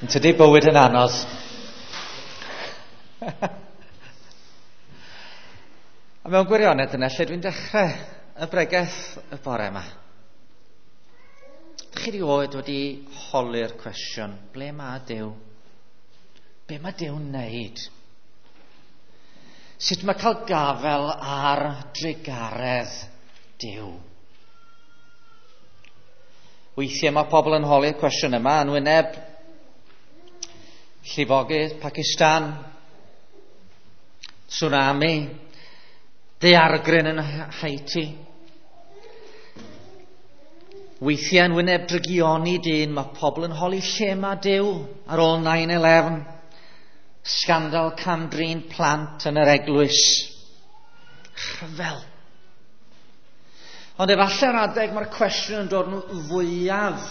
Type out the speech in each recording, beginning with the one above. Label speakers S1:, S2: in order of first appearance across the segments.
S1: Yn tydi bywyd yn anodd. A mewn gwirionedd dyna lle dwi'n dechrau y bregeth y bore yma. Chi rioed wedi holi'r cwestiwn, ble mae Duw? Be mae Duw'n wneud? Sut mae cael gafel ar drugaredd Duw? Weithiau mae pobl yn holi'r cwestiwn yma yn wyneb llifogydd Pakistan, tsunami, daeargryn yn Haiti. Weithiau yn wyneb drygioni dyn, mae pobl yn holi lle mae Duw ar ôl 9-11, sgandal cam-drin plant yn yr eglwys. Rhyfel. Ond efallai'r adeg mae'r cwestiwn yn dod yn fwyaf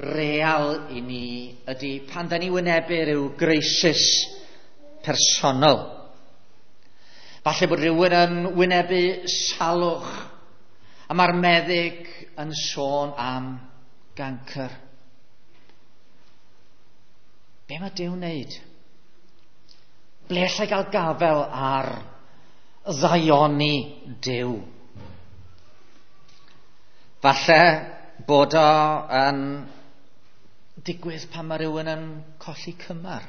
S1: real i ni ydy pan da ni wynebu rhyw greisis personol. Falle bod rhywun yn wynebu salwch a mae'r meddyg yn sôn am gancr. Be mae Duw'n wneud? Ble allai gael gafel ar ddaioni Duw? Falle bod o yn digwydd pan mae rhywun yn colli cymar.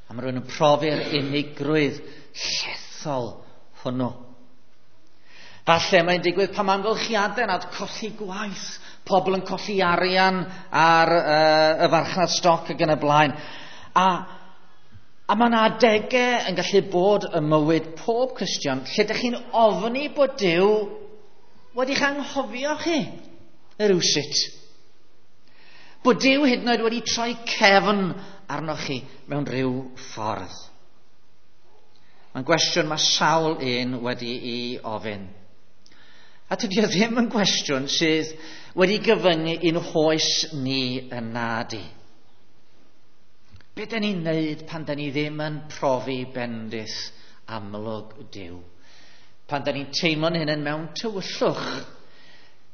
S1: A mae rhywun yn profi'r unigrwydd llethol hwnnw. Falle mae'n digwydd pan mae amgylchiadau nad colli gwaith, pobl yn colli arian ar y farchnad stoc ac yn y blaen. A mae yna adegau yn gallu bod ym mywyd pob Cristion lle ydych chi'n ofni bod Duw wedi'ch anghofio chi rywsut. Bod Duw hyd yn oed wedi troi cefn arnoch chi mewn rhyw ffordd. Mae'n gwestiwn mae sawl un wedi'i ofyn. A tydi o ddim yn gwestiwn sydd wedi gyfyngu i'n hoes ni yn nadi. Be da ni'n neud pan da ni ddim yn profi bendith amlwg Duw? Pan da ni'n teimlo'n hunain mewn tywyllwch,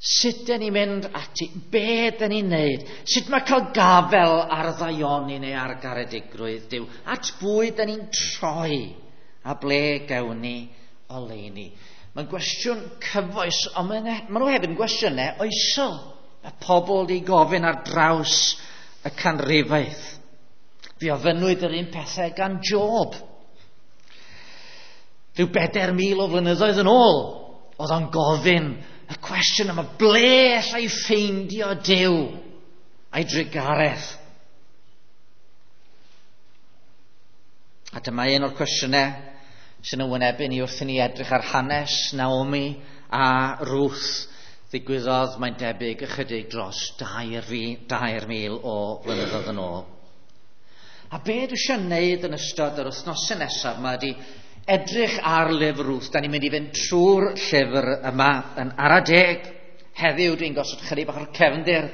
S1: sut da ni'n mynd ati? Be da ni'n neud? Sut mae cael gafel ar ddaioni neu ar garedigrwydd Duw? At bwy da ni'n troi? A ble gawn ni oleuni? Mae'n gwestiwn cyfoes, ond maen nhw hefyd yn gwestiynau oesol. Mae pobl wedi gofyn ar draws y canrifoedd. Fe ofynnwyd yr un pethau gan Job. Rhyw 4,000 o flynyddoedd yn ôl, oedd o'n gofyn y cwestiwn yma, ble allai ffeindio Duw a'i drugaredd? A dyma un o'r cwestiynau sy'n wynebu ni wrth i ni edrych ar hanes Naomi a Ruth. Ddigwyddodd, mae'n debyg, ychydig dros 2,000 o flynyddoedd yn ôl. A be dwi eisiau wneud yn ystod yr wythnosau nesaf yma ydy edrych ar lyfr Ruth. Da ni'n mynd i fynd trwy'r llyfr yma yn ara deg. Heddiw dwi'n gosod chydig bach o'r cefndir.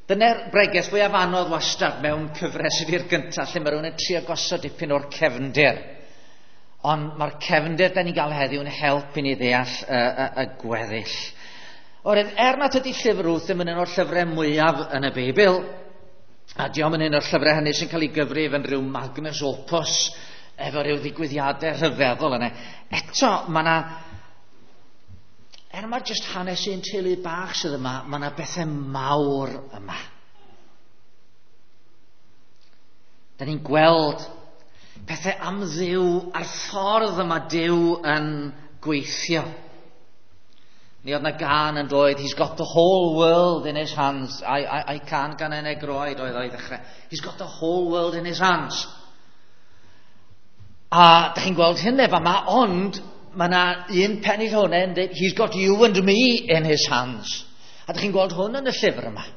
S1: Dyna'r bregeth fwyaf anodd wastad mewn cyfres ydy'r gyntaf, lle mae rhywun yn trio gosod dipyn o'r cefndir. Ond mae'r cefndir da ni'n gael heddiw yn help i ni ddeall y gweddill. Oherwydd, er nad ydy llyfr Ruth ddim yn un o'r llyfrau mwyaf yn y Beibl, a diom yn un o'r llyfrau hynny sy'n cael ei gyfrif yn rhyw magnus opus, efo rhyw ddigwyddiadau rhyfeddol yna. Eto, mae yna, er mae jyst hanes un teulu bach sydd yma, mae yna bethau mawr yma. Da ni'n gweld pethau am Dduw a'r ffordd yma Duw yn gweithio. Mi oedd yna gân yn dweud, he's got the whole world in his hands. I can gan yn egroed oedd o'i ddechrau. He's got the whole world in his hands. A da chi'n gweld hyn efo yma, ond mae yna un pennill hwnna yn dweud, he's got you and me in his hands. A da chi'n gweld hwn yn y llyfr yma.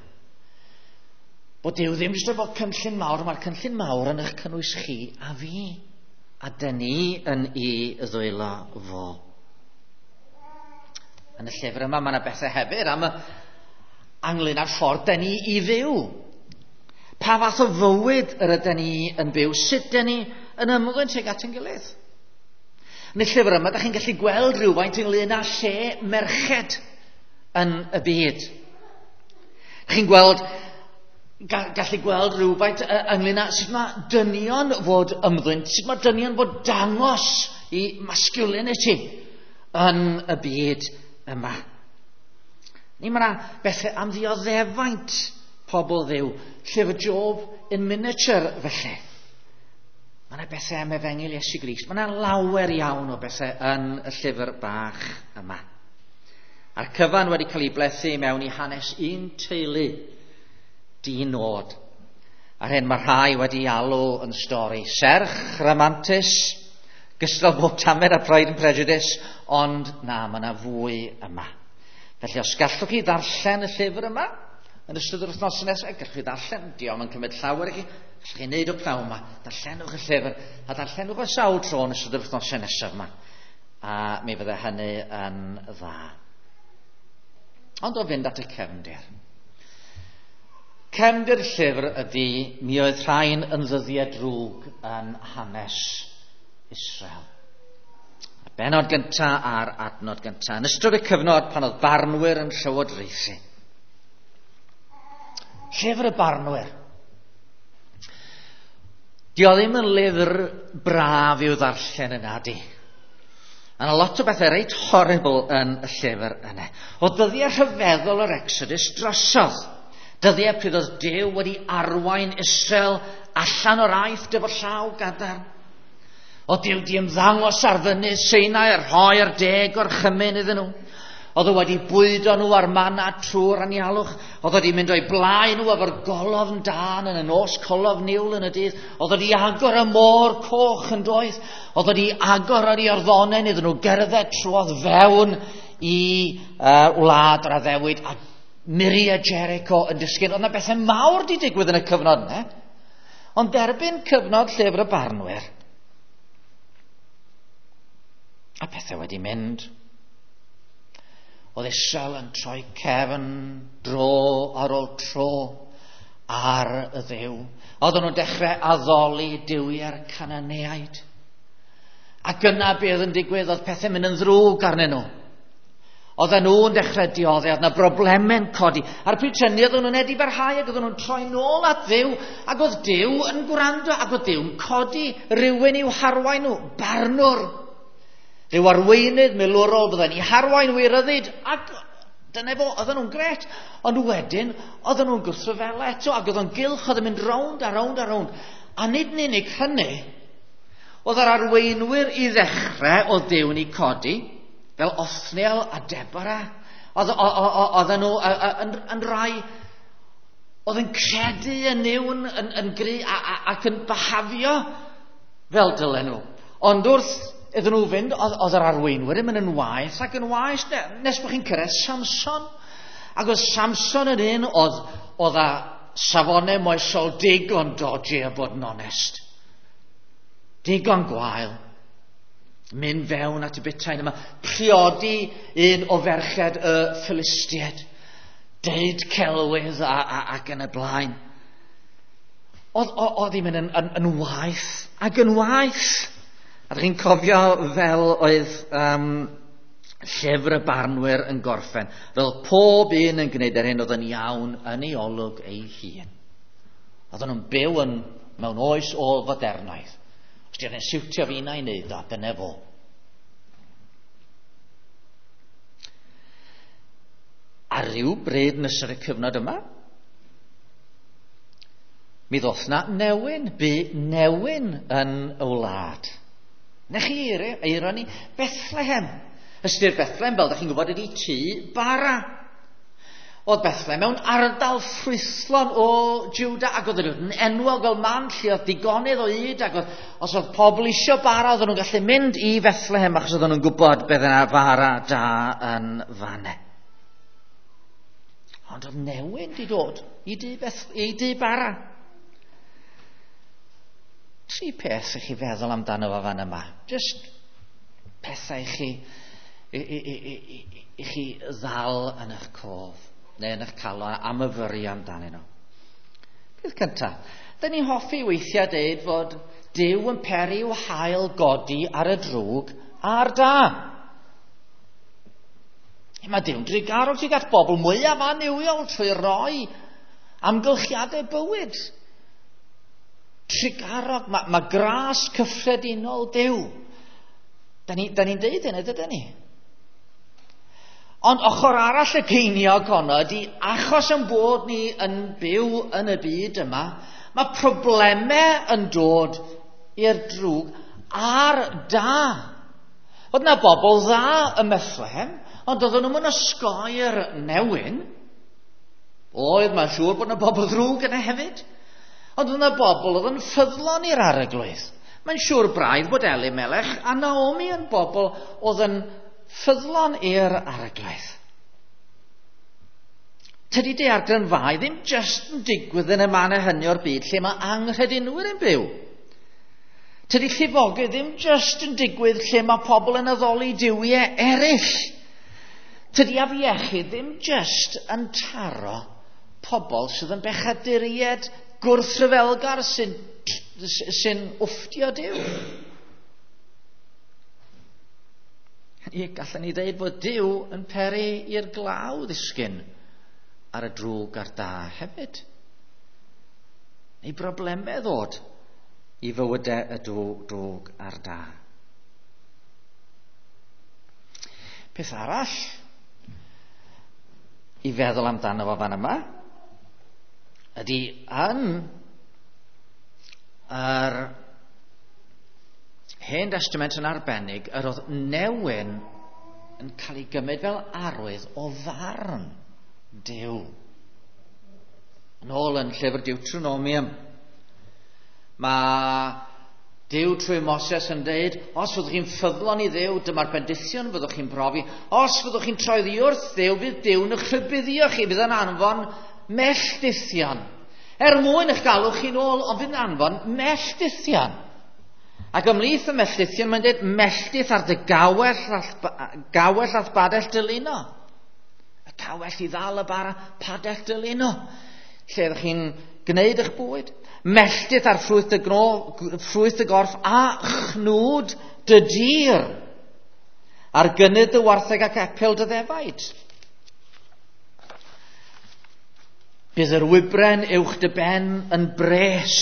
S1: Bod Duw ddim jyst efo cynllun mawr, mae'r cynllun mawr yn eich cynnwys chi a fi. A dyn ni yn ei ddwylo fo. Yn y llyfr yma mae yna bethau hefyd am y ynglyn â'r ffordd dyn ni i fyw. Pa fath o fywyd yr ydyn ni yn byw? Sut dyn ni yn ymddwyn tuag at ein gilydd? Yn y llyfr yma, da chi'n gallu gweld rhywfaint ynglyn â lle merched yn y byd. Da chi'n gweld gallu gweld rhywfaint ynglyn â sut mae dynion fod ymddwyn, sut mae dynion fod dangos i masculinity yn y byd yma. Ni mae yna bethau am ddioddefaint pobl Dduw, Llyfr Job in miniature felly. Mae yna bethau am efengyl Iesu Grist. Mae yna lawer iawn o bethau yn y llyfr bach yma. A'r cyfan wedi cael ei blethu mewn i hanes un teulu di-nod. A'r hyn mae rhai wedi alw yn stori serch, ramantus, gystal bob tamed a Pride and Prejudice, ond na, mae yna fwy yma. Felly os gallwch chi ddarllen y llyfr yma, yn ystod yr wythnos nesaf, gallwch chi ddarllen, diolch yn cymryd llawer i chi, gallwch chi wneud o pnawn yma, darllenwch y llyfr, a darllenwch o sawl tro yn ystod yr wythnos nesaf yma. A mi fydde hynny yn dda. Ond o fynd at y cefndir. Cefndir llyfr ydy, mi oedd rhain yn ddyddiau drwg yn hanes Israel. Y bennod gyntaf a'r adnod gyntaf. Yn ystod y cyfnod pan oedd barnwyr yn llywodraethu. Llyfr y barnwyr. Di o ddim yn lyfr braf i'w ddarllen yna, di. A yna lot o bethau reit horrible yn y llyfr yna. O dyddiau rhyfeddol yr Exodus drosodd. Dyddiau pryd oedd Duw wedi arwain Israel allan o'r Aifft efo llaw gadarn. O Duw di ymddangos ar fynydd Sinai a rhoi'r 10 gorchymyn iddyn nhw. Oedd o wedi bwydo nhw ar manna trwy'r anialwch. Oedd o wedi mynd o'i blaen nhw efo'r golofn dân yn y nos, colofn niwl yn y dydd. Oedd o wedi agor y môr coch yn doedd. Oedd o wedi agor yr Iorddonen iddyn nhw gerdded trwodd fewn i wlad yr addewid a muriau Jericho yn disgyn. Oedd yna bethau mawr wedi digwydd yn y cyfnod yna. Ond derbyn cyfnod llyfr y barnwyr, a pethau wedi mynd. Oedd Israel yn troi cefn dro ar ôl tro ar y Dduw. Oedden nhw'n dechrau addoli duwiau'r Cananeaid. Ac yna be oedd yn digwydd, oedd pethau'n mynd yn ddrwg arnyn nhw. Oedden nhw'n dechrau dioddef, oedd yna broblemau'n codi. A'r pryd hynny oedden nhw'n edifarhau ac oedden nhw'n troi nôl at Dduw, ac oedd Duw yn gwrando, ac oedd Duw'n codi rhywun i'w harwain nhw, barnwr. Rhyw arweinydd milwrol fydden i harwain wir ryddid, ac dyna fo, oedden nhw'n gret. Ond wedyn, oedden nhw'n gwrthryfela eto, ac oedd o'n gylch, oedd yn mynd rownd a rownd a rownd. A nid yn unig hynny, oedd yr arweinwyr i ddechrau oedd Duw'n eu codi, fel Othniel a Deborah, oedden nhw yn rai oedd yn credu yn Nuw'n yn gry ac yn byhafio fel dylen nhw. Ond wrth iddyn nhw fynd, oedd yr arweinwyr yn mynd yn waeth ac yn waeth, nes bod chi'n cyrraedd Samson. Ac oedd Samson yn un oedd â safonau moesol digon dodgy a bod yn onest. Digon gwael. Mynd fewn at y butain yma. Priodi un o ferched y Philistiaid. Deud celwydd ac yn y blaen. Oedd hi'n mynd yn waeth ac yn waeth. A ydych chi'n cofio fel oedd llyfr y barnwyr yn gorffen, fel pob un yn gwneud yr hyn oedd yn iawn yn ei olwg ei hun. Oedden nhw'n byw mewn oes ôl-fodernaidd. Os di'n siwtio fi na i wneud o, dyna fo. A ryw bryd yn ystod y cyfnod yma, mi ddoth na newyn, bu newyn yn y wlad. Na chi eironi, Bethlehem. Ystyr Bethlehem, fel ydych chi'n gwybod, ydy tŷ bara. Oedd Bethlehem mewn ardal ffrwythlon o Juda, ac oedd yn enwog fel man lle oedd digonedd o yd, ac oedd, os oedd pobl isio bara, oedden nhw'n gallu mynd i Bethlehem, achos oedden nhw'n gwybod beth yna fara da yn fanne. Ond oedd newyn di dod i dŷ bara. Tri peth i chi feddwl amdano fo fan yma. Just pethau i chi ddal yn eich cof, neu yn eich calon a myfyrio amdanyn nhw. Peth cyntaf, dyn ni'n hoffi weithiau deud fod Duw yn peri i'w haul godi ar y drwg a'r da. Mae Duw'n drugarog tuag at bobl mwyaf annuwiol trwy roi Amgylchiadau bywyd. Trugarog, mae gras cyffredinol Duw. Da ni'n deud hynny, dydyn ni? Ond ochr arall y ceiniog honno ydy, achos yn bod ni yn byw yn y byd yma, mae problemau yn dod i'r drwg a'r da. Oedd yna bobl dda ym Methlehem, ond oedden nhw'n osgoi'r newyn. Oedd, mae'n siŵr bod yna bobl ddrwg yna hefyd. Ond oedd yna bobl oedd yn ffyddlon i'r Arglwydd. Mae'n siŵr braidd bod Elimelech a Naomi yn bobl oedd yn ffyddlon i'r Arglwydd. Tydi daeargrynfâu ddim jyst yn digwydd yn y mannau hynny o'r byd lle mae anghredinwyr yn byw. Tydi llifogydd ddim jyst yn digwydd lle mae pobl yn addoli duwiau eraill. Tydi afiechyd ddim jyst yn taro pobl sydd yn bechaduriaid gwrthryfelgar sy'n wfftio Duw. Ie, gallwn ni ddeud bod Duw yn peri i'r glaw ddisgyn ar y drwg a'r da hefyd. Neu broblemau ddod i fywydau y drwg a'r da. Peth arall i feddwl amdano fo fan yma ydy yn yr Hen Testament yn arbennig, yr oedd newyn yn cael ei gymryd fel arwydd o farn Duw. Yn ôl yn llyfr Deuteronomium, mae Duw trwy Moses yn dweud, os fyddwch chi'n ffyddlon i Dduw, dyma'r bendithion fyddwch chi'n profi. Os fyddwch chi'n troi oddi wrth Dduw, fydd Duw'n eich rhybuddio chi, fydd yn anfon melldithion. Er mwyn eich galw chi'n ôl, ond fydd yn anfon melldithion. Ac ymhlith y melldithion, mae'n dweud melldith ar dy gawell a'th badell dylino. Y cawell i ddal y bara, padell dylino. Lle ydych chi'n gwneud eich bwyd. Melltith ar ffrwyth dy gorff a chnwd dy dir. Ar gynnydd dy wartheg ac epil dy ddefaid. Bydd yr wybren uwch dy ben yn bres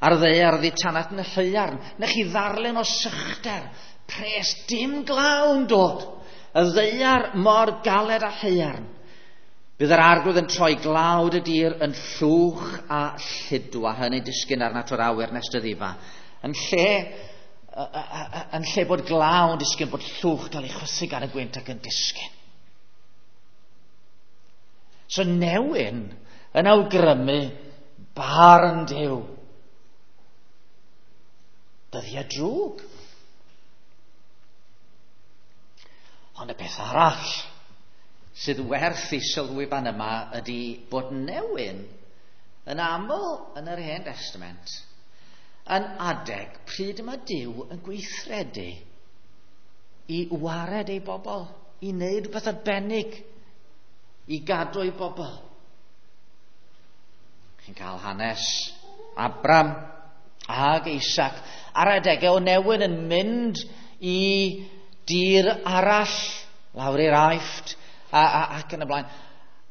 S1: ar ddaear oddi tanat yn y lleuarn. Newch chi ddarllen o sychder, pres, dim glaw yn dod. Y ddaear mor galed a haearn. Bydd yr Arglwydd yn troi glawd y dir yn llwch a lludw, a hynny disgyn arnat o'r awyr nes dy ddifa. Yn lle bod glaw yn disgyn, bod llwch gael ei chwythu gan y gwynt ac yn disgyn. So newyn yn awgrymu barn Duw. Dyddiau drwg. Ond y peth arall sydd werth i sylwi fan yma ydy bod newyn yn aml yn yr Hen Testament yn adeg pryd mae Duw yn gweithredu i wared ei bobl, i wneud rhywbeth arbennig i gadw ei bobl. Chi'n cael hanes Abram ag Isaac ar adegau o newyn yn mynd i dir arall, lawr i'r Aifft, ac yn y blaen.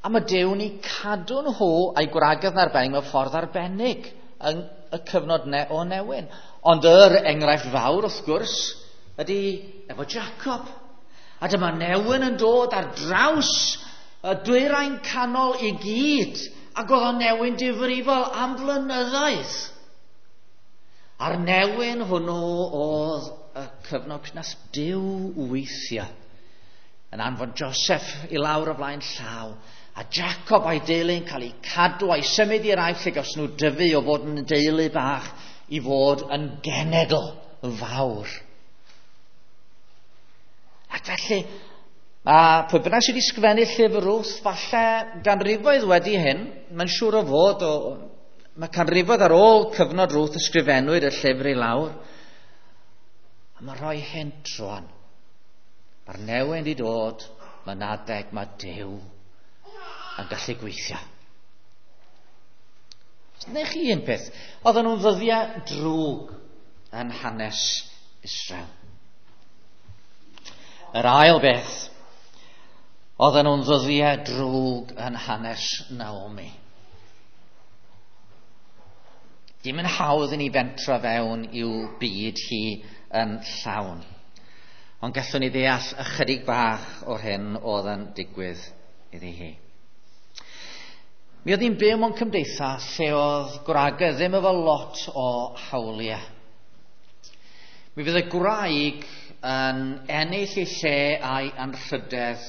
S1: A mae Duw'n eu cadw nhw a'i gwragedd yn arbennig mewn ffordd arbennig yn y cyfnod o newyn. Ond yr enghraifft fawr, wrth gwrs, ydy efo Jacob. A dyma newyn yn dod ar draws y dwyrain canol i gyd, ac oedd o'n newyn difrifol am flynyddoedd. A'r newyn hwnnw oedd y cyfnod nath Duw weithio yn anfon Joseph i lawr o flaen llaw, a Jacob a'i deulu yn cael eu cadw a'i symud i'r Aifft lle gaws nhw dyfu o fod yn deulu bach i fod yn genedl fawr. Ac felly, a pwy bynnag sydd wedi sgrifennu llyfr Ruth, falle ganrifoedd wedi hyn, mae'n siŵr o fod, mae canrifoedd ar ôl cyfnod Ruth ysgrifennwyd y llyfr i lawr, a mae'n rhoi hint rwan. Mae'r newyn wedi dod, mae'n adeg, mae Duw yn gallu gweithio. Neu chi un peth, oedden nhw'n ddyddiau drwg yn hanes Israel. Yr ail beth, oedden nhw'n ddyddiau drwg yn hanes Naomi. Dim yn hawdd i ni fentro fewn i'w byd hi yn llawn. Ond gallwn ni ddeall ychydig bach o'r hyn oedd yn digwydd iddi hi. Mi oedd hi'n byw mewn cymdeithas lle oedd gwragedd ddim efo lot o hawliau. Mi fydd y gwraig yn ennill ei lle a'i anrhydedd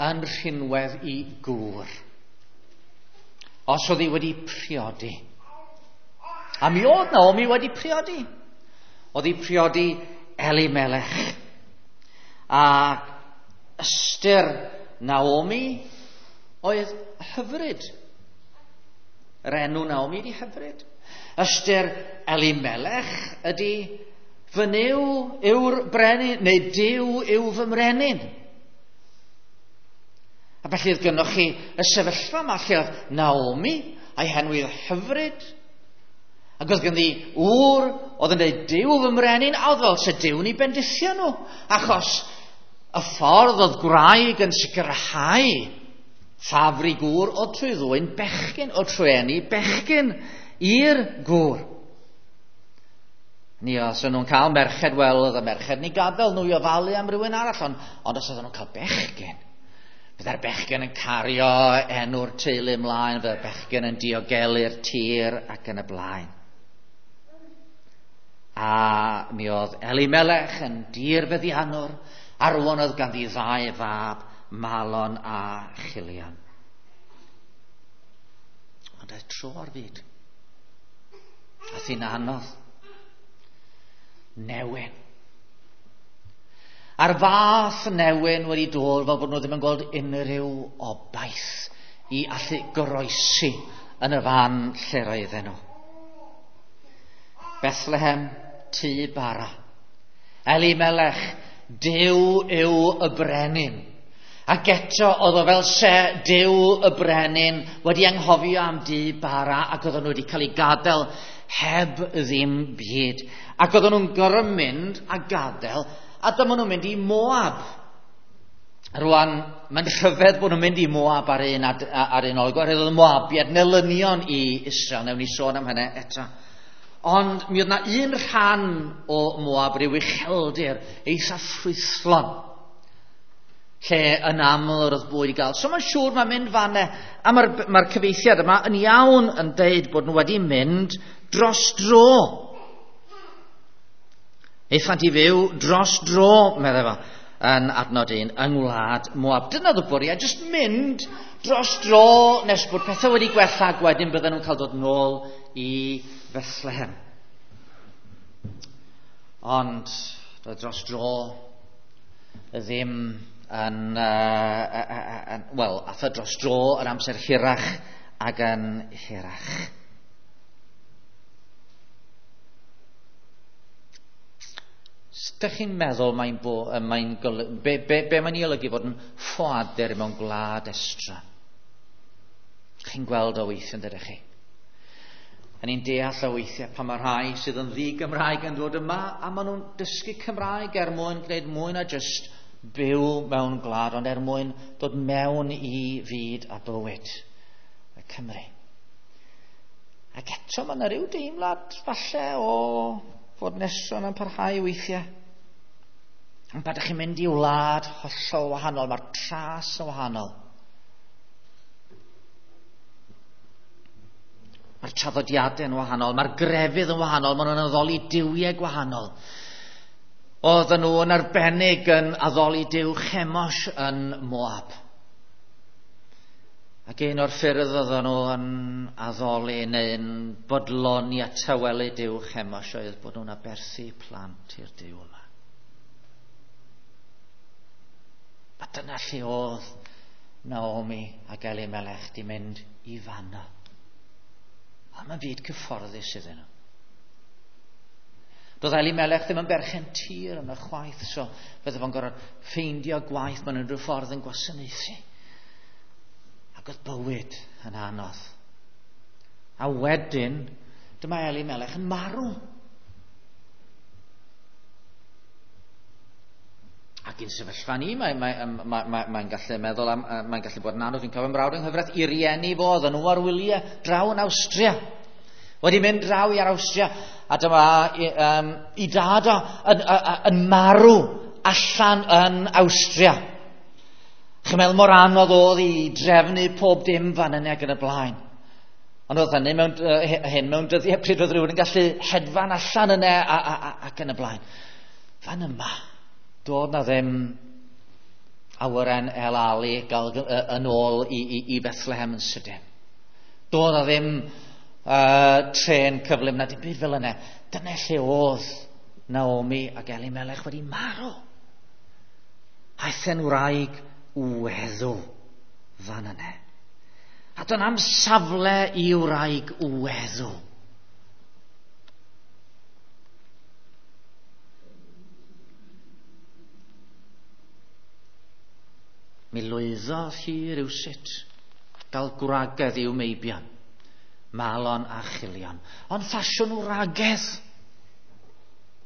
S1: yn rhinwedd i gŵr. Os oedd hi wedi priodi. A mi oedd Naomi wedi priodi. Oedd hi priodi Elimelech. A ystyr Naomi oedd hyfryd. Yr enw Naomi ydi hyfryd. Ystyr Elimelech ydy fy Nuw yw'r brenin, neu Duw yw fy mrenin. A felly oedd gynnoch chi y sefyllfa yma lle oedd Naomi a'i henw hyfryd, ac oedd ganddi ŵr oedd yn dweud Duw fy mrenin, a oedd fel se Duw'n ei bendithio nhw, achos y ffordd oedd gwraig yn sicrhau ffafr i gŵr oedd trwy ddwyn bechgyn, oedd trwy eni bechgyn i'r gŵr. Ni os o'n nhw'n cael merched, wel, oedd y merched ni gadael nhw i ofalu am rywun arall, ond os oedden nhw'n cael bechgyn, byddai'r bechgyn yn cario enw'r teulu ymlaen, byddai'r bechgyn yn diogelu'r tir ac yn y blaen. A mi oedd Elimelech yn dirfeddiannwr, a rwan oedd ganddi ddau fab, Malon a Chilion. Ond aeth tro ar fyd. Aeth hi'n anodd. Newyn. A'r fath newyn wedi dod fel bod nhw ddim yn gweld unrhyw obaith i allu goroesi yn y fan lle roedden nhw. Bethlehem, tŷ bara. Elimelech, Duw yw y brenin. Ac eto oedd o fel se Duw y brenin wedi anghofio am dŷ bara ac oedden nhw wedi cael ei gadael heb ddim byd. Ac oedden nhw'n gorfod mynd a gadael, a dyma nhw'n mynd i Moab. Rwan, mae'n rhyfedd bod nhw'n mynd i Moab ar un, ar un olwg, oherwydd oedd y Moabiaid yn elynion i Israel, newn ni sôn am hynny eto. Ond mi oedd na un rhan o Moab, rhyw ucheldir, eitha ffrwythlon, lle yn aml yr oedd bwyd i gael. So mae'n siŵr mae'n mynd fanne, a mae'r cyfieithiad yma yn iawn yn deud bod nhw wedi mynd dros dro. Aethant i fyw dros dro, meddai fo, yn adnod 1, yng ngwlad Moab. Dyna oedd y bwriad, jyst mynd dros dro nes bod pethau wedi gwella, ac wedyn bydden nhw'n cael dod nôl i Bethlehem. Ond doedd dros dro ddim yn, wel, ath o dros dro yr amser hirach ac yn hirach. Ydych chi'n meddwl mae'n mae'n be mae'n ei olygu fod yn ffoadur mewn gwlad estron? Chi'n gweld o weithiau, yn dydych chi? A ni'n deall o weithiau pan mae rhai sydd yn ddi-Gymraeg yn dod yma a maen nhw'n dysgu Cymraeg er mwyn gwneud mwy na jyst byw mewn gwlad, ond er mwyn dod mewn i fyd a bywyd y Cymru. Ac eto mae yna rhyw deimlad falle o fod nesron yn parhau weithiau. Ond pan ydych chi'n mynd i wlad hollol wahanol, mae'r tras yn wahanol. Mae'r traddodiadau yn wahanol, mae'r grefydd yn wahanol, maen nhw'n addoli duwiau gwahanol. Oedden nhw yn arbennig yn addoli duw Chemosh yn Moab. Ac un o'r ffyrdd oedden nhw yn addoli neu'n bodloni a tawelu duw Chemosh oedd bod nhw'n aberthu plant i'r duw yma. A dyna lle oedd Naomi ac Elimelech di mynd i fanno. A mae'n fyd cyfforddus iddyn nhw. Doedd Elimelech ddim yn berchen tir yn y chwaith, so fydde fo'n gorfod ffeindio gwaith mewn unrhyw ffordd yn gwasanaethu. Ac oedd bywyd yn anodd. A wedyn, dyma Elimelech yn marw. Ac i'n sefyllfa ni, mae'n gallu meddwl am, mae'n gallu bod yn anodd. Fi'n cofio mrawd yng nghyfraith i rieni fo, oedden nhw ar wyliau draw yn Awstria. Wedi mynd draw i'r Awstria, a dyma i dad o yn marw allan yn Awstria. Chi'n meddwl mor anodd oedd i drefnu pob dim fan yna ac yn y blaen. Ond oedd hynny mewn, hyn mewn dyddiau pryd oedd rhywun yn gallu hedfan allan yna ac yn y blaen. Fan yma, doedd na ddim awyren El Ali gael yn ôl i Bethlehem yn sydyn. Doedd na ddim trên cyflym na dim byd fel yna. Dyna lle oedd Naomi ac Elimelech wedi marw. Aeth e'n wraig weddw fan yna. A dyna am safle i wraig weddw. Mi lwyddodd hi rywsut gael gwragedd i'w meibion, Malon a Chilion. Ond ffasiwn wragedd.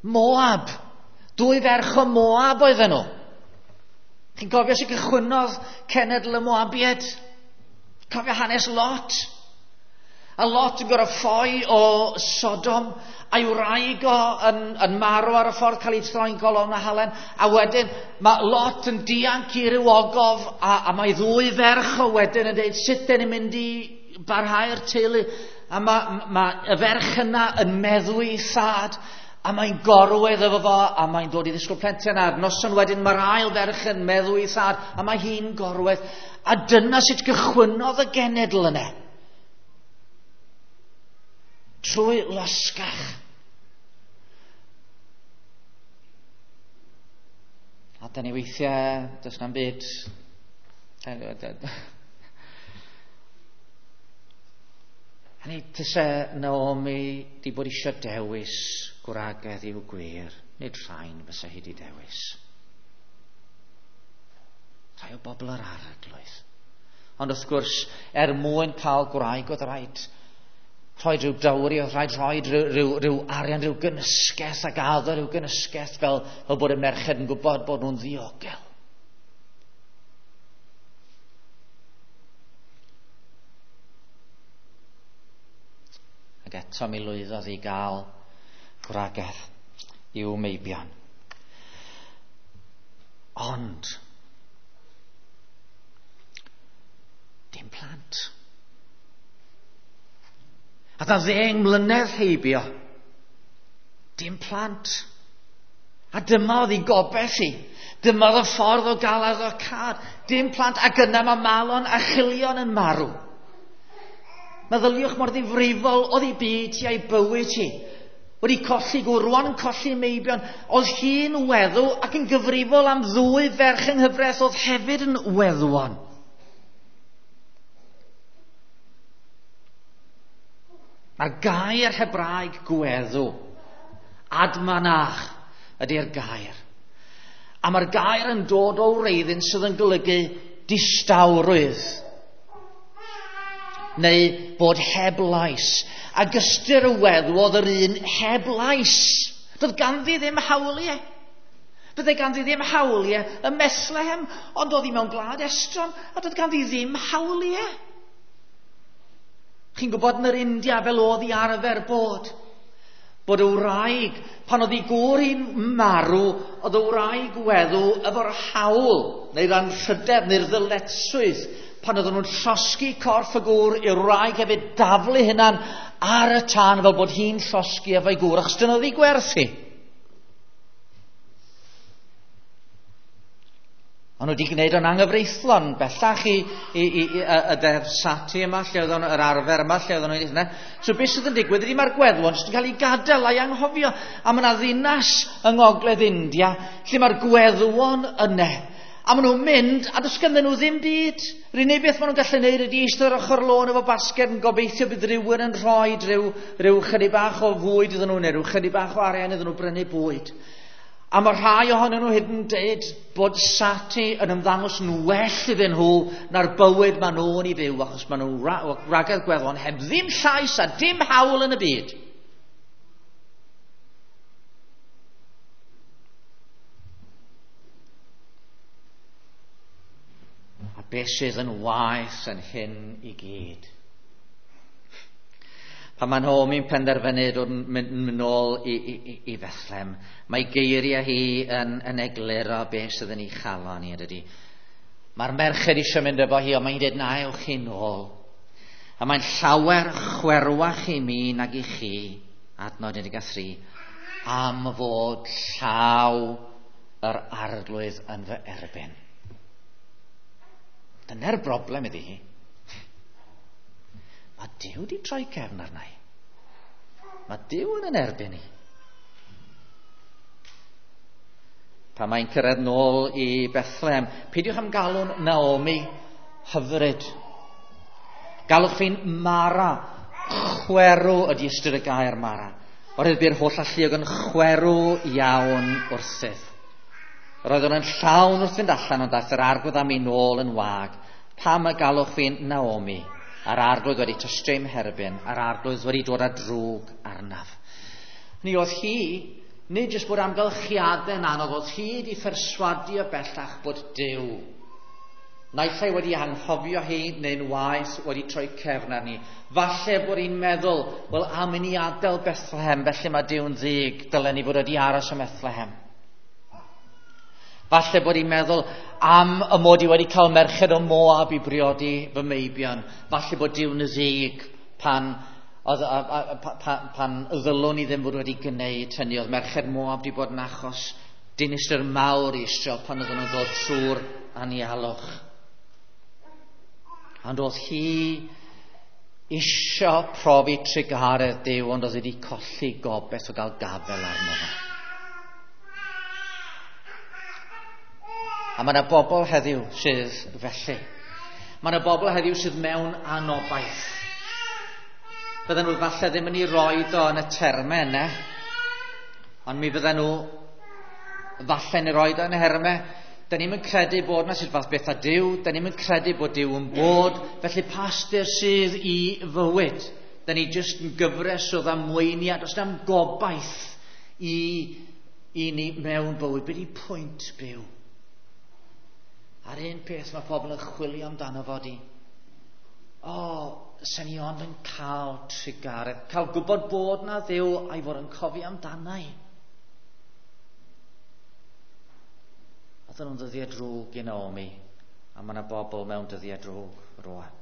S1: Moab. Dwy ferch o Moab oedden nhw. Chi'n cofio sut gychwynnodd cenedl y Moabiaid? Cofio hanes Lot? A Lot yn gorfod ffoi o Sodom, a'i wraig o yn marw ar y ffordd, cael ei troi'n golofn a halen, a wedyn mae Lot yn dianc i ryw ogof, a mae ddwy ferch o wedyn yn dweud, sut dyn ni'n mynd i barhau'r teulu? A mae y ferch yna yn meddwi thad, a mae'n gorwedd efo fo, a mae'n dod i ddisgwyl plentyn, a'r noson wedyn mae'r ail ferch yn meddwi thad, a mae hi'n gorwedd. A dyna sut gychwynnodd y genedl yna. Trwy losgach. A da ni weithiau, does na'm byd. Hynny, tyse Naomi di bod eisiau dewis gwragedd i'w gwir, nid rhain fysa hi di dewis. Rhai o bobl yr arglwydd. Ond wrth gwrs, er mwyn cael gwraig oedd rhaid rhoi rhyw dowry, oedd rhaid rhoi rhyw arian, rhyw gynysgeth ac addo rhyw gynysgeth fel bod y merched yn gwybod bod nhw'n ddiogel. Ac eto mi lwyddodd i gael gwragedd i'w meibion. Ond dim plant. A dda 10 mlynedd heibio, dim plant. A dyma oedd ei gobaith hi. Dyma oedd y ffordd o gael addo cad. Dim plant, ac yna mae Malon a Chilion yn marw. Meddyliwch mor ddifrifol oedd ei byd hi a'i bywyd hi. Wedi colli gŵr, rwan yn colli meibion. Oedd hi'n weddw ac yn gyfrifol am ddwy ferch yng nghyfraith oedd hefyd yn weddwon. Mae'r gair Hebraeg gweddw, admanach, ydy'r gair. A mae'r gair yn dod o wreiddyn sydd yn golygu distawrwydd, neu bod heb lais. Ac ystyr y weddw oedd yr un heb lais. Doedd ganddi ddim hawliau. Byddai ganddi ddim hawliau ym Methlehem, ond oedd hi mewn gwlad estron, a doedd ganddi ddim hawliau. Chi'n gwybod yn yr India fel oedd hi arfer bod, bod y wraig, pan oedd ei gŵr hi'n marw, oedd y wraig weddw efo'r hawl, neu'r anrhydedd, neu'r ddyletswydd, pan oedden nhw'n llosgi corff y gŵr, i'r wraig hefyd daflu hunan ar y tân fel bod hi'n llosgi efo'i gŵr, achos dyna oedd ei gwerth hi. Ond nhw wedi gwneud o'n anghyfreithlon bellach i y ddeddf sati yma, lle oedd o'n yr arfer yma, lle oedd o'n hynna. So beth sydd yn digwydd ydy mae'r gweddwon jyst yn cael ei gadael a'i anghofio. A mae yna ddinas yng Ngogledd India lle mae'r gweddwon yna. A maen nhw'n mynd, a does ganddyn nhw ddim byd. Yr unig beth maen nhw'n gallu neud ydy eistedd ar ochr lôn efo basged yn gobeithio bydd rhywun yn rhoi rhyw chydig bach o fwyd iddyn nhw, neu rhyw chydig bach o arian iddyn nhw brynu bwyd. A mae rhai ohonyn nhw hyd yn deud bod sati yn ymddangos yn well iddyn nhw na'r bywyd maen nhw'n ei fyw, achos maen nhw'n wragedd gweddwon heb ddim llais a dim hawl yn y byd. A beth sydd yn waeth yn hyn i gyd? Pan mae Naomi'n penderfynu dod mynd nôl i Fethlem, mae geiriau hi yn egluro beth sydd yn ei chalon hi, ydy. Mae'r merched eisiau mynd efo hi, ond mae'n dweud, na, ewch chi nôl. A mae'n llawer chwerwach i mi nag i chi, adnod 13, am fod llaw yr Arglwydd yn fy erbyn. Dyna'r broblem iddi hi. Mae Duw wedi troi cefn arna i. Mae Duw yn erbyn i. Pan mae'n cyrraedd nôl i Bethlehem, peidiwch am galw'n Naomi hyfryd. Galwch fi'n Mara, chwerw ydy ystyr y gair Mara. Oherwydd bu'r holl alluog yn chwerw iawn wrthyf. Roeddwn yn llawn wrth fynd allan, ond daeth yr Arglwydd â mi nôl yn wag. Pam y galwch fi'n Naomi? A'r Arglwydd wedi tystio i'm herbyn, a'r Arglwydd wedi dod â drwg arnaf. Ni oedd hi, nid jyst bod amgylchiadau'n anodd, oedd hi wedi pherswadio bellach bod Duw naill ai wedi anghofio hi neu'n waeth wedi troi cefn arni. Falle bod hi'n meddwl, wel, am i ni adael Bethlehem, felly mae Duw'n ddig, dylen ni fod wedi aros ym Methlehem. Falle bod hi'n meddwl am y mod i wedi cael merched o Moab i briodi fy meibion. Falle bod Duw'n ddig pan, oedd, pan, pan ddylwn i ddim fod wedi gwneud hynny. Oedd merched Moab wedi bod yn achos dinistr mawr i Israel pan oedden nhw'n dod trwy'r anialwch. Ond oedd hi isio profi trugaredd Duw, ond oedd wedi colli gobaith o gael gafel arno fo. A mae yna bobl heddiw sydd felly. Mae yna bobl heddiw sydd mewn anobaith. Bydden nhw falle ddim yn ei roed o yn y termau yna, ond mi fydden nhw falle yn ei roed o yn y hermau. Da ni'm yn credu bod yna sut fath beth â Duw, da ni'm yn credu bod Duw yn bod, felly pastur sydd i fywyd. Da ni jyst yn gyfres o ddamweiniad, os na'm gobaith i ni mewn bywyd. Be di pwynt byw? A'r un peth mae pobl yn chwilio amdano fo di, o, sen i ond yn cael trugaredd, cael gwybod bod na Dduw a'i fod yn cofio amdana i. Oedden nhw'n dyddiau drwg i Naomi, a mae yna bobl mewn dyddiau drwg rwan.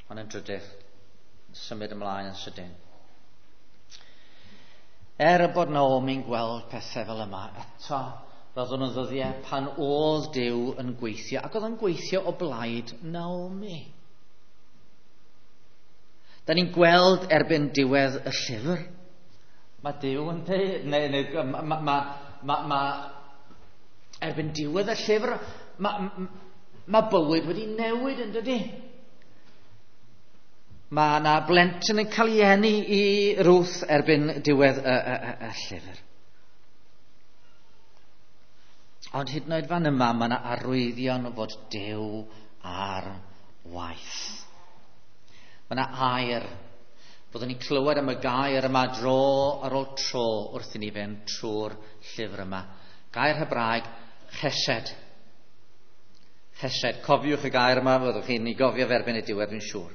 S1: Ond yn drydydd, symud ymlaen yn sydyn. Er y bod Naomi'n gweld pethau fel yma, eto roedden nhw'n ddyddiau pan oedd Duw yn gweithio, ac oedd yn gweithio o blaid Naomi. Da ni'n gweld erbyn diwedd y llyfr, mae Duw yn dweud, neu ma, erbyn diwedd y llyfr, mae bywyd wedi newid yn dydy. Mae yna blentyn yn cael ei eni i Ruth erbyn diwedd y llyfr. Ond hyd yn oed fan yma, mae yna arwyddion fod Duw ar waith. Mae yna air. Byddwn ni'n clywed am y gair yma dro ar ôl tro wrth i ni fynd trwy'r llyfr yma. Gair Hebraeg, chesed. Chesed. Cofiwch y gair yma, fyddwch chi'n ei gofio fe erbyn y diwedd, dwi'n siŵr.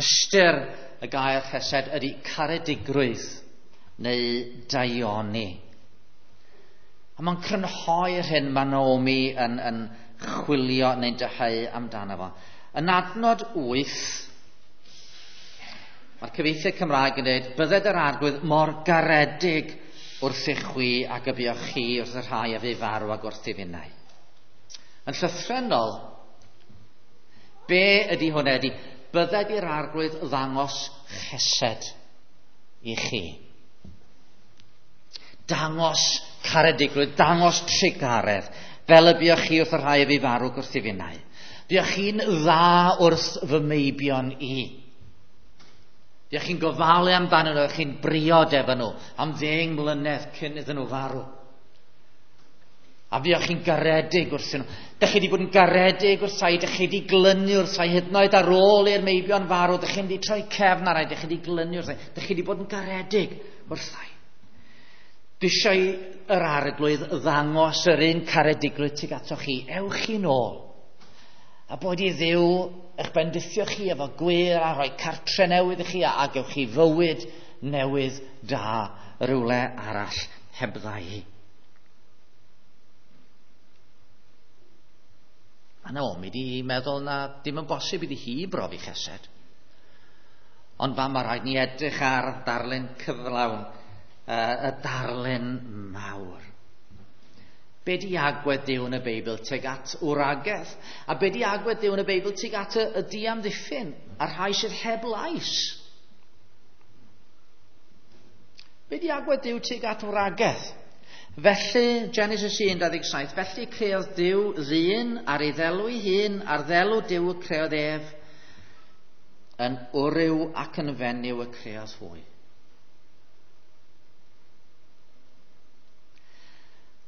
S1: Ystyr y gair chesed ydy caredigrwydd neu daioni. A mae'n crynhoi'r hyn mae Naomi yn chwilio neu'n dyheu amdano fo. Yn adnod 8, mae'r cyfieithiad Cymraeg yn dweud, bydded yr Arglwydd mor garedig wrthych chwi ac y buoch chi wrth y rhai a fu farw ac wrth i finnau. Yn llythrennol, be ydy hwnna ydy, bydded i'r Arglwydd ddangos chesed i chi. Dangos caredigrwydd, dangos trugaredd, fel y buoch chi wrth y rhai a fu farw wrth i finnau. Buoch chi'n dda wrth fy meibion i. Buoch chi'n gofalu amdanyn nhw, buoch chi'n briod efo nhw am 10 mlynedd cyn iddyn nhw farw. A fuoch chi'n garedig wrthyn nhw. Dych chi wedi bod yn garedig wrthai, dych chi wedi glynu wrthai, hyd yn oed ar ôl i'r meibion farw, dych chi wedi troi cefn arnai, dych chi wedi glynu wrthai, dych chi wedi bod yn garedig wrthai. Dwi eisiau yr Arglwydd ddangos yr un caredigrwydd tuag atoch chi. Ewch chi nôl. A bod i Dduw eich bendithio chi efo gwir a rhoi cartre newydd i chi a gewch chi fywyd newydd da rywle arall hebdda i. Mae Naomi di meddwl na dim yn bosib iddi hi brofi chesed. Ond fa mae rhaid ni edrych ar darlun cyflawn, y darlun mawr. Be di agwedd Duw yn y Beibl tuag at wragedd? A be di agwedd Duw yn y Beibl tuag at y diamddiffyn a'r rhai sydd heb lais? Be di agwedd Duw tuag at wragedd? Felly, Genesis 1:27, felly creodd Duw ddyn ar ei ddelw ei hun, ar ddelw Duw y creodd ef, yn wryw ac yn fenyw y creodd hwy.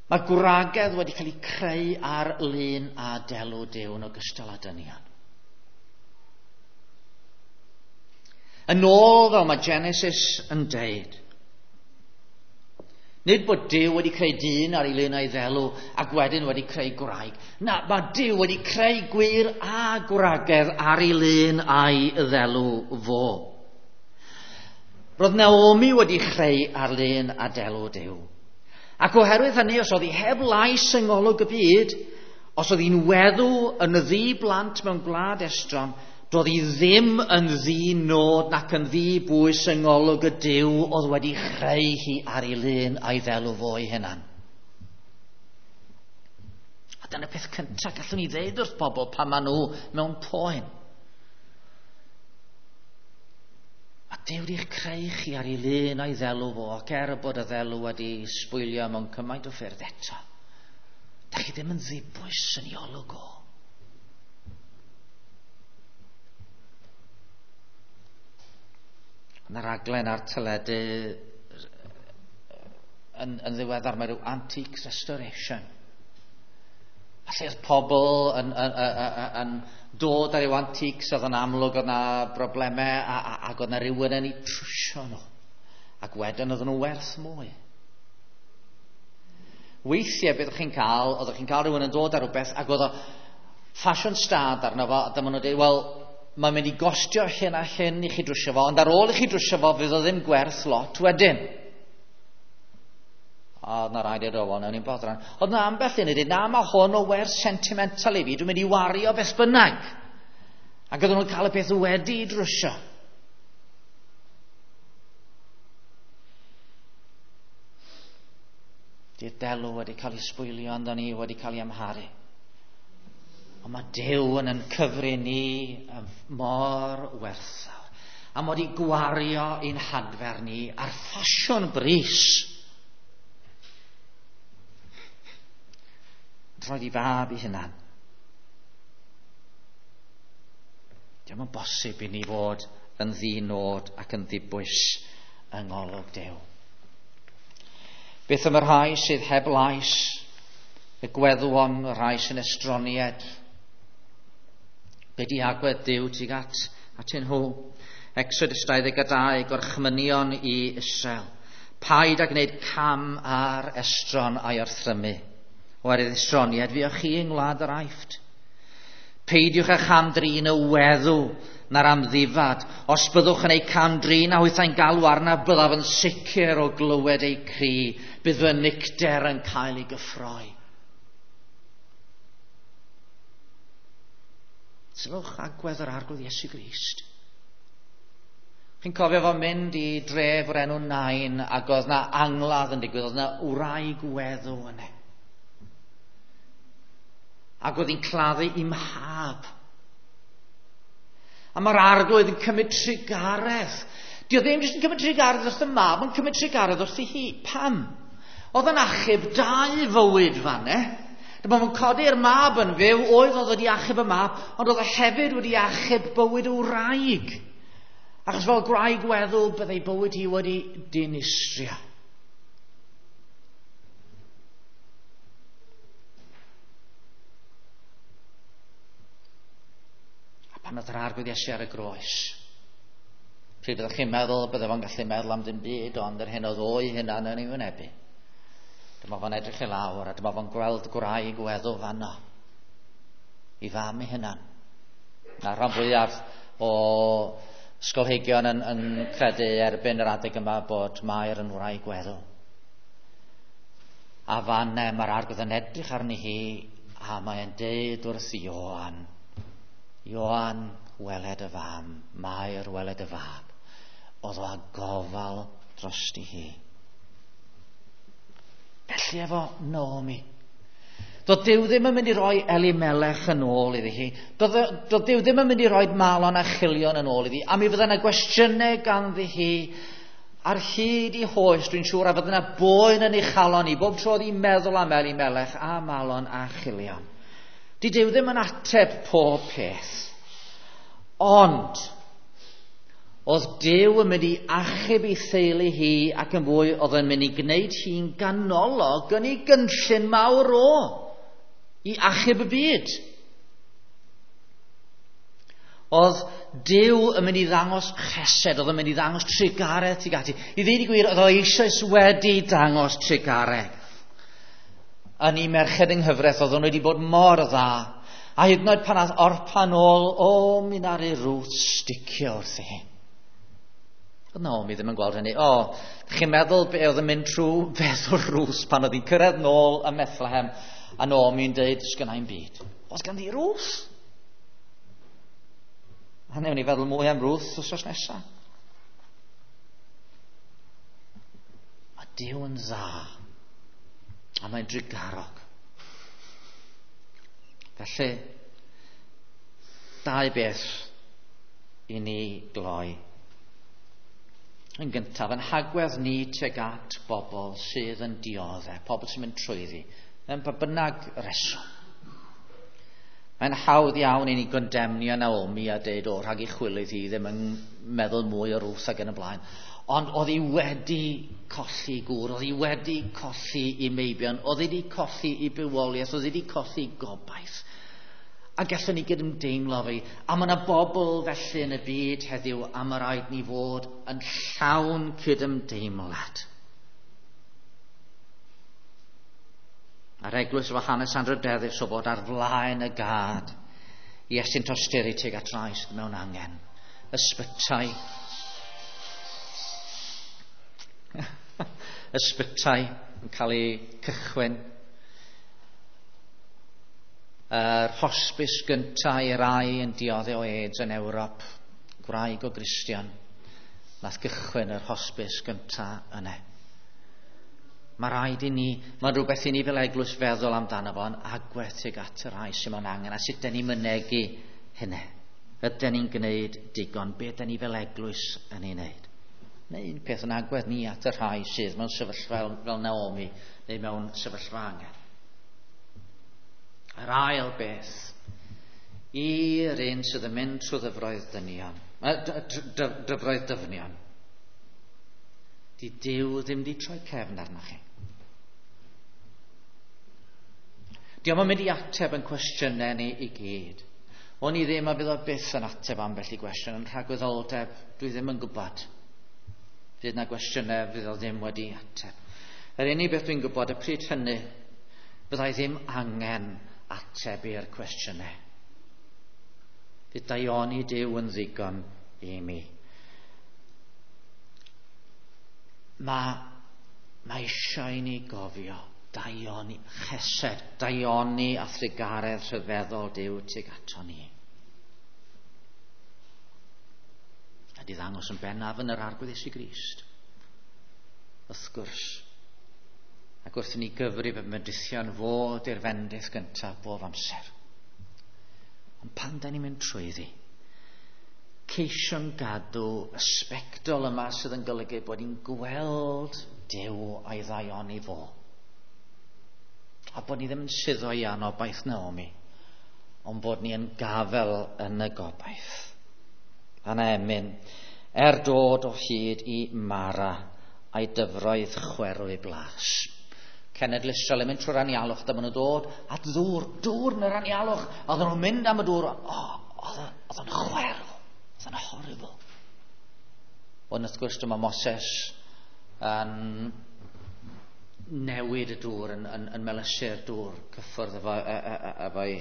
S1: Mae gwragedd wedi cael eu creu ar lun a delw Duw yn ogystal â dynion. Yn ôl fel mae Genesis yn deud, nid bod Duw wedi creu dyn ar ei lun a'i ddelw ac wedyn wedi creu gwraig. Na, mae Duw wedi creu gwir a gwragedd ar ei lun a'i ddelw fo. Roedd Naomi wedi chreu ar lun a delw Duw. Ac oherwydd hynny, os oedd hi heb lais yng ngolwg y byd, os oedd hi'n weddw yn ddi blant mewn gwlad estron, doedd hi ddim yn ddi-nod nac yn ddi-bwys yng ngolwg y Duw oedd wedi chreu hi ar ei lun a'i ddelw fo ei hunan. A dyna peth cyntaf gallwn ni ddeud wrth bobl pan maen nhw mewn poen. A Duw wedi'ch creu chi ar ei lun a'i ddelw fo, ac er bod y ddelw wedi sbwylio mewn cymaint o ffyrdd eto, da chi ddim yn ddibwys yn ei olwg o. Yna raglen ar teledu yn ddiweddar, mae rhyw antiques restoration. A lle oedd pobl yn dod ar ryw antiques oedd yn amlwg oedd na broblemau ac oedd na rhywun yn eu trwsio nhw. Ac wedyn oedden nhw werth mwy. Weithiau beth o'ch chi'n cael, oeddech chi'n cael rhywun yn dod ar rhywbeth ac oedd o ffasiwn stad arno fo, a dyma nhw'n dweud, wel, mae'n mynd i gostio hyn a hyn i chi drwsio fo, ond ar ôl i chi drwsio fo, fydd o ddim gwerth lot wedyn. A oedd na rai dweud, o, wel, nawn ni'n boddran. Oedd na ambell un i dweud, na, mae hwn o werth sentimental i fi, dwi'n mynd i wario beth bynnag. Ac oedden nhw'n cael y peth wedi i drwsio. Di'r delw wedi cael ei sbwylio, ond ni wedi cael ei amharu. Ond mae Duw yn cyfri ni mor werthfawr. A mod i gwario ein hadfer ni ar ffasiwn bris. Roedd i fab i hunan. Diolch yn bosib i ni fod yn ddi-nod ac yn ddibwys yng ngolwg Duw. Beth am y rhai sydd heb lais, y gweddwon, y rhai sy'n estronied? Be di agwedd Duw tuag atyn nhw? Exodus 22, gorchmynion i Israel. Paid â gwneud cam ar estron a'i orthrymu. Oherwydd estroniad fuoch chi yng ngwlad yr Aifft. Peidiwch â cham-drin y weddw na'r amddifad. Os byddwch yn eu cam-drin a hwythau'n galw arna, byddaf yn sicr o glywed eu cri. Bydd fy nicter yn cael ei gyffroi. Sylwch agwedd yr Arglwydd Iesu Grist. Chi'n cofio fo mynd i dref o'r enw Nain, ac oedd na angladd yn digwydd, oedd na wraig weddw yna. Ac oedd hi'n claddu i mhab. A mae'r Arglwydd yn cymryd trugaredd. Dio ddim jyst yn cymryd trugaredd wrth y mab, ond cymryd trugaredd wrth ei hi. Pam? Oedd yn achub dau fywyd fan, e? Dyma fo'n codi'r mab yn fyw, oedd wedi achub y mab, ond oedd e hefyd wedi achub bywyd y wraig. Achos fel gwraig weddw, byddai bywyd hi wedi dinistrio. A pan oedd yr Arglwydd Iesu ar y groes, pryd byddwch chi'n meddwl, bydde fo'n gallu meddwl am dim byd, ond yr hyn oedd o'i hunan yn ei wynebu. Dyma fo'n edrych i lawr, a dyma fo'n gweld gwraig weddw fanno, i fam ei hunan. A rhan fwyaf o ysgolheigion yn credu erbyn yr adeg yma bod Mair yn wraig weddw. A fan mae'r Arglwydd yn edrych arni hi a mae'n deud wrth Ioan, Ioan, weled y fam, Mair, weled y fab. Oedd o â gofal drosti hi. Felly efo Naomi. Doedd Duw ddim yn mynd i roi Elimelech yn ôl iddi hi. Doedd Duw ddim yn mynd i roi Malon a Chilion yn ôl iddi. A mi fydda yna gwestiynau ganddi hi ar hyd i hoes, dwi'n siŵr, a fydda yna boen yn ei chalon hi. Bob tro oedd hi'n meddwl am Elimelech a Malon a Chilion. Di Duw ddim yn ateb pob peth. Ond, oedd Duw yn mynd i achub ei theulu hi ac yn fwy oedd yn mynd i gwneud hi'n ganolog yn ei gynllun mawr o i achub y byd. Oedd Duw yn mynd i ddangos chesed, oedd yn mynd i ddangos trugaredd tuag ati. I ddweud y gwir, oedd o eisoes wedi dangos trugaredd. Yn ei merched yng nghyfraith, oedd nhw wedi bod mor dda. A hyd yn oed pan ath Orpa nôl, o, mi naru Ruth sticio wrthi hi. Oedd Naomi ddim yn gweld hynny. O, chi'n meddwl be oedd yn mynd trwy feddwl Ruth pan oedd hi'n cyrraedd nôl ym Methlehem a Naomi'n deud, sgynna i'm byd. Oes ganddi Ruth? A newn ni feddwl mwy am Ruth wythnos nesaf. Mae Duw yn dda a mae'n drugarog. Felly, dau beth i ni gloi. Yn gyntaf, yn hagwedd ni tuag at bobl sydd yn dioddef, pobl sy'n mynd trwyddi, mewn pa bynnag reswm. Mae'n hawdd iawn i ni gondemnio Naomi a deud, o, rhag i chwilydd hi ddim yn meddwl mwy o Ruth ac yn y blaen. Ond oedd hi wedi colli gŵr, oedd hi wedi colli i meibion, oedd hi wedi colli i bywoliaeth, oedd hi wedi colli gobaith. A gallwn ni gydymdeimlo fi. A mae yna bobl felly yn y byd heddiw, a mae rhaid ni fod yn llawn cydymdeimlad. A'r eglwys efo hanes anrhydeddus o fod ar flaen y gad i estyn tosturi tuag at rai sydd mewn angen. Ysbytai. Ysbytai yn cael eu cychwyn. Yr hospis gyntaf i rai yn dioddef o AIDS yn Ewrop, gwraig o Gristion, nath gychwyn yr hospis gyntaf yna. Mae rhaid i ni, mae'n rhywbeth i ni fel eglwys feddwl amdano fo yn agwedd tuag at y rhai sydd mewn angen, a sut dyn ni'n mynegi hynny. Ydyn ni'n gwneud digon, be dyn ni fel eglwys yn ei wneud? Neu un peth yn agwedd ni at y rhai sydd mewn sefyllfa fel Naomi, neu mewn sefyllfa angen. Yr ail beth, i'r un sydd yn mynd trwy ddyfroedd dynion, dyfroedd dyfnion, di Duw ddim di troi cefn arnoch chi. Dio'm yn mynd i ateb yn cwestiynau ni i gyd. O'n i ddim a fydd o byth yn ateb ambell i gwestiwn yn rhagwyddoldeb, dwi ddim yn gwybod. Fydd na gwestiynau fydd o ddim wedi ateb. Yr unig beth dwi'n gwybod y pryd hynny, byddai ddim angen ateb i'r cwestiynau. Fydd daioni Duw yn ddigon i mi. Mae eisiau i ni gofio daioni, chesed, daioni a thrugaredd rhyfeddol Duw tuag ato ni. A di ddangos yn bennaf yn yr Arglwydd Iesu Grist. Wrth gwrs, ac wrth i ni gyfrif y mendithion fod i'r fendith gyntaf bob amser. Ond pan da ni'n mynd trwyddi, ceisio'n gadw y sbectol yma sydd yn golygu bod ni'n gweld Duw a'i ddaioni fo. A bod ni ddim yn suddo i anobaith Naomi, ond bod ni yn gafel yn y gobaith. A na emyn, er dod o hyd i Mara a'i dyfroedd chwerw ei blas. Cenedl Israel yn mynd trwy'r anialwch, dyma nhw dod at ddŵr, dŵr yn yr anialwch. Oedden nhw'n mynd am y dŵr, oedd o'n chwerw, oedd o'n horrible. Ond wrth gwrs dyma Moses yn newid y dŵr, yn melysu'r dŵr, cyffwrdd efo'i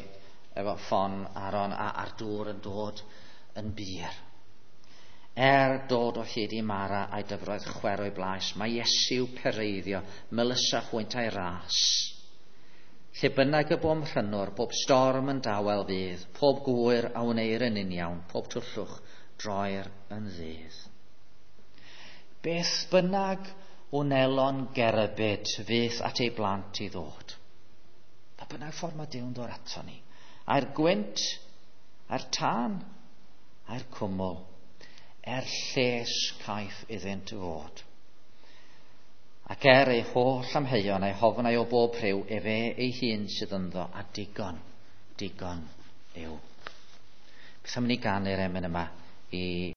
S1: efo ffon Aaron a'r dŵr yn dod yn bur. Er dod o hyd i Mara a'i dyfroedd chwerw ei blais, mae Iesu'w pereiddio, melysa hwynt a'i ras. Lle bynnag y bo'n rhynwr, bob storm yn dawel fydd, pob gwyr a wneir yn uniawn, pob twllwch droer yn ddydd. Beth bynnag wnelon gerbyd fydd at ei blant i ddod. Pa bynnag ffordd mae Duw'n dod ato ni. A'r gwynt, a'r tân, a'r cwmwl, er lles caiff iddynt fod. Ac er ei holl amheuon a'i hofnau o bob rhyw, efe ei hun sydd ynddo, a digon, digon yw. Beth am ni ganu'r emyn yma i